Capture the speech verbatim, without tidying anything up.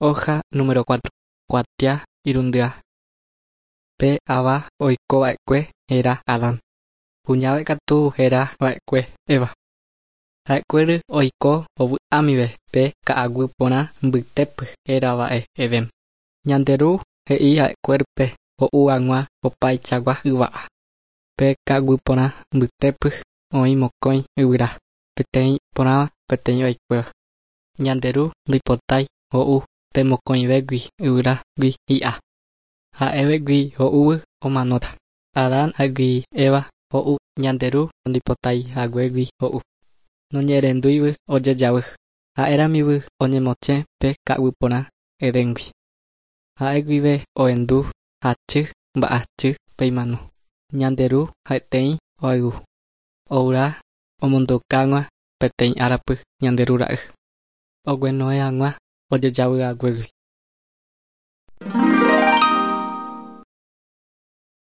Hoja número cuatro. Kuatia irundyha. Pe ava oikova'ekue héra Adán. Kuñave katu héra va'ekue Eva. Ha'ekuéry oiko ovy'amive pe ka'aguy porã mbytépy hérava'e Edén. Ñande Ru he'i ha'ekuérype ho'u hag̃ua opaichagua yva'a. Pe ka'aguy porã mbytépy oĩ mokõi yvyra, peteĩ iporãva peteĩ vaikuéva. Ñande Ru ndoipotái ho'u pe mokõivégui yvyrágui hi'a. Ha'evégui ho'úvy omanóta. Adán ha'égui Eva ho'u Ñande Ru ndoipotaihaguégui ho'u. Noñe'ẽrendúivy ojejavy. Ha'eramívy oñemosẽ pe ka'aguy porã Edéngui. Ha'e guive ohendu hachy mba'asy pe imano. Ñande Ru ha'eteĩ ohayhu. Oura omondoka hag̃ua peteĩ árapy Ñande Ru ra'y. Oguenohẽ hag̃ua ojejavyhaguégui.